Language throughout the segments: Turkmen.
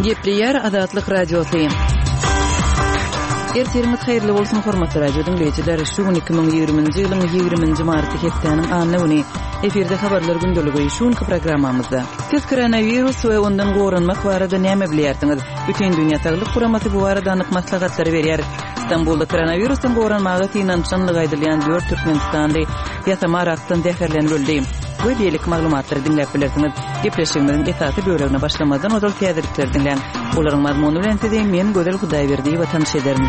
Gepleýär Azatlyk Radiosy. Ertiriňiz haýyrly bolsun, hormatly radio diňleýjiler. Şu gün 2020-nji ýylyň 20-nji marty hepdäniň anna güni. Efirde habarlar gündeligi şu günki programmamyzda. Siz koronawirus we ondan goranmak barada näme bilýärsiňiz? Bütindünýä Saglyk Guramasy bu barada anyk maslahatlary berýär. Stambulda koronawirusdan goranmaga synanyşanlygy aýdylýan dört türkmenistanly ýasama arakdan zäherlenip öldi. We beýleki maglumatlary diňläp bilersiňiz. Gepleşigimiziň esasy bölegine başlamazdan ozal täzelikleri diňläň. Olaryň mazmuny bilen sizi men Gözel Hudaýberdiýewa tanyş ederin.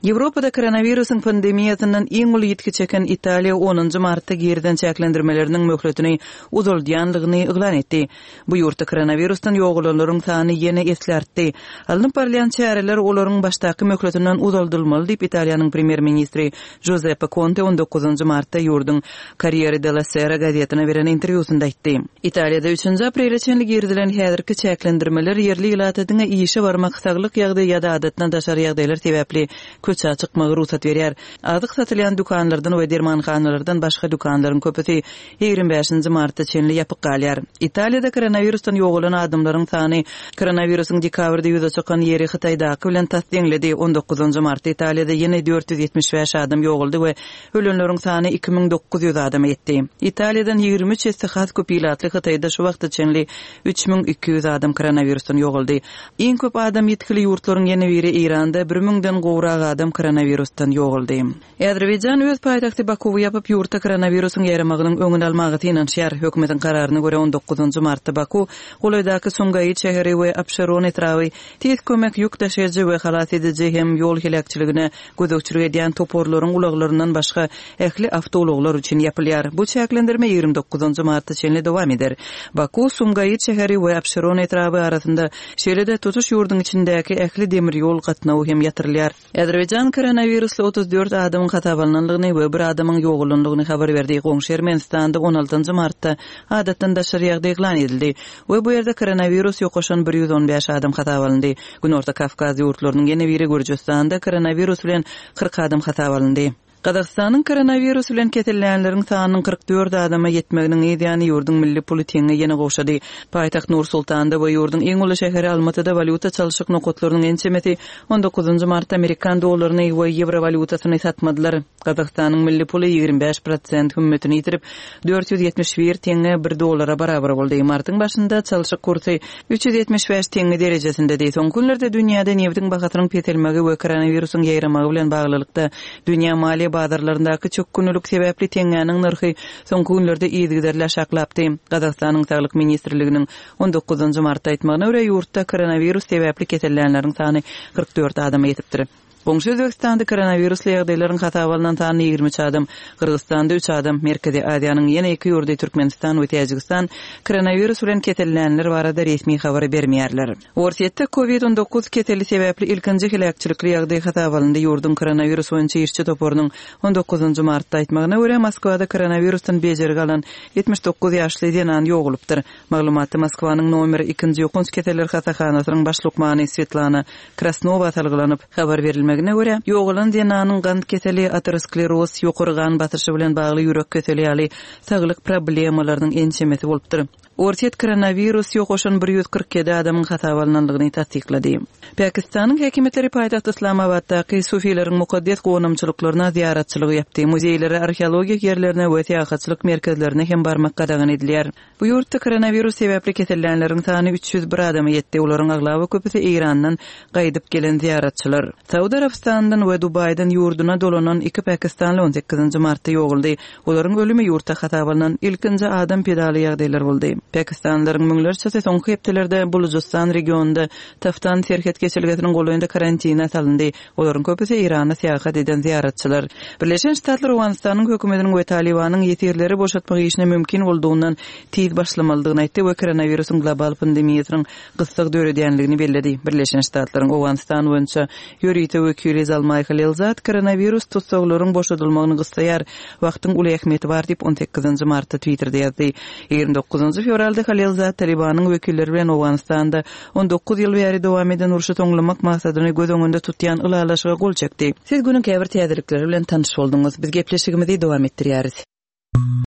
Ýewropada koronawirusyň pandemiýasyndan iň uly ýitgi çeken Italiýa onunjy martda girizen çäklendirmeleriniň möhletini uzaldýanlygyny yglan etdi. Bu ýurtda koronawirusdan ýogalanlaryň sany ýene esli artdy. Alnyp barylýan çäreler olaryň başdaky möhletinden uzaldylmaly diýip, Italiýanyň premýer-ministri Juzeppe Konte on dokuzynjy martda ýurduň Corriere della Sera gazetine beren interwýusynda aýtdy. Italiýada üçünji aprele çenli girizilen häzirki çäklendirmeler ýerli ilata diňe işe barmak, saglyk ýagdaýy ýa-da adatdan daşary ýagdaýlar sebäpli köçä çykmagy rugsat berýär. Azyk satylýan dükanlardan we dermanhanalardan başga dükanlaryň köpüsi 25-nji marta çenli ýapyk galýar. Italiýada koronawirusdan ýogalan adamlaryň sany koronawirusyň dekabrda ýüze çykan ýeri Hytaýdaky bilen tas deňledi. On dokuzynjy martda Italiýada ýene 475 adam ýogaldy we ölenleriň sany 2900 adama ýetdi. Italiýadan 23 esse has köp ilatly Hytaýda şu wagta çenli 3200 adam koronawirusdan ýogaldy. Iň köp adam ýitgili ýurtlaryň ýene biri Eýranda bir müňden gowrak adam koronawirusdan ýogaldy. Azerbaýjan öz paýtagty Bakuwy ýapyp, ýurtda koronawirusyň ýaýramagynyň öňüni almaga synanyşýar. Hökümetiň kararyna görä, on dokuzynjy martda Baku, golaýdaky Sumgaýyt şäheri we Abşeron etraby Tiz kömek ýük daşaýjy we halas ediji hem ýol heläkçiligine gözegçilik edýän toparlaryň ulaglaryndan başga ähli awtoulaglar üçin ýapylýar. Bu çäklendirme 29 marta çenli dowam eder. Baku, Sumgaýyt şäheri we Abşeron etraby arasynda, şeýle-de tutuş ýurduň içindäki ähli demir ýol gatnawy hem ýatyrylýar. Azerbaýjan koronawirusly 34 adamyň hasaba alnandygyny we bir adamyň ýogalandygyny habar berdi. Goňşy Ermenistanda 16 martda adatdan daşary ýagdaý yglan edildi we bu ýerde koronawirus ýokaşan 115 adam hasaba alyndy. Günorta Kawkaz ýurtlarynyň ýene biri Gürjüstanda koronawirus bilen 40 adam hasaba alyndy. Gazagystanyň koronawirus bilen kesellänleriň sanynyň 44 adama ýetmeginiň yz ýany ýurduň milli puly teňňe ýene gowşady. Paýtagt Nur-Sultanda we ýurduň iň uly şäheri Almatyda walýuta çalşyk nokatlarynyň ençemesi on dokuzynjy martda amerikan dollaryny we ýewro walýutasyny satmadylar. Gazagystanyň milli puly 25 prosent hümmetini ýitirip, 471 teňňe bir dollara barabar boldy. Martyň başynda çalşyk kursy 375 teňňe derejesindedi. Soňky günlerde dünýäde nebitiň bahasynyň peselmegi we koronawirusyň ýaýramagy bilen baglylykda, dünýä maliýe bazarlaryndaky çökgünlilik sebäpli teňňäniň nyrhy soňky günlerde yzygiderli aşaklapdy. Gazagystanyň Saglyk ministrliginiň on dokuzynjy martda aýtmagyna görä, ýurtda koronawirus sebäpli kesellänleriň sany 44 adama ýetipdir. Goňşy Özbegistanda koronawirusly ýagdaýlaryň hasaba alnan sany 23 adam, Gyrgyzystanda üç adam, Merkezi Aziýanyň ýene iki ýurdy Türkmenistan we Täjigistan koronawirus bilen kesellänler barada resmi habar bermeýärler. Orsýetde Covid 19 keseli sebäpli ilkinji heläkçilikli ýagdaý hasaba alyndy. Ýurduň koronawirus boýunça işçi toparynyň on dokuzynjy martda aýtmagyna görä, Moskwada koronawirusdan bejergi alan 79 ýaşly zenan ýogalypdyr. Maglumatda Moskwanyň nomer ikinji ýokanç keseller hassahanasynyň baş lukmany Swetlana Krasnowa salgylanyp, habar berilmegine görä, ýogalan zenanyň gant keseli, ateroskleroz, ýokary gan basyşy bilen bagly ýürek keseli ýaly saglyk problemalarynyň ençemesi bolupdyr. Orsýet koronawirus ýokaşan 147 adamyň hasaba alnandygyny tassyklady. Pakistanyň häkimiýetleri paýtagt Yslamabatdaky sufileriň mukaddes gonamçylyklaryna zyýaratçylygy ýapdy. Muzeýlere, arheologik ýerlerine we syýahatçylyk merkezlerine hem barmak gadagan edilýär. Bu ýurtda koronawirus sebäpli kesellänleriň sany 301 adama ýetdi, olaryň aglaba köpüsi Eýrandan gaýdyp gelen zyýaratçylar. Saud Arabystanyndan we Dubaýdan ýurduna dolanan iki pakistanly on sekizinji martda ýogaldy. Olaryň ölümi ýurtda hasaba alnan ilkinji adam pedaly ýagdaýlar boldy. Pakistanlylaryň müňlerçesi soňky hepdelerde Bulujystan regionynda Taftan serhet geçelgesiniň golaýynda karantine salyndy. Olaryň köpüsi Eýrana syýahat eden zyýaratçylar. Birleşen Ştatlar Owganystanyň hökümetiniň we Talybanyň ýesirleri boşatmak işine mümkin boldugyndan tiz başlamalydygyny aýtdy we koronawirusyň global pandemiýasynyň gyssag döredýänligini belledi. Birleşen Ştatlaryň Owganystan boýunça ýörite wekili Zalmaý Halilzad koronawirus tussaglaryň boşadylmagyny gyssaýar, wagtyň uly ähmiýeti bar diýip, on sekizinji martda Twitterde ýazdy. 29 fewralda Halilzad Talybanyň wekilleri bilen Owganystanda 19 ýyl bäri dowam eden urşy soňlamak maksadyny göz öňünde tutýan ylalaşyga gol çekdi. Siz günüň käbir täzelikleri bilen tanyş bolduňyz. Biz gepleşigimizi dowam etdirýäris.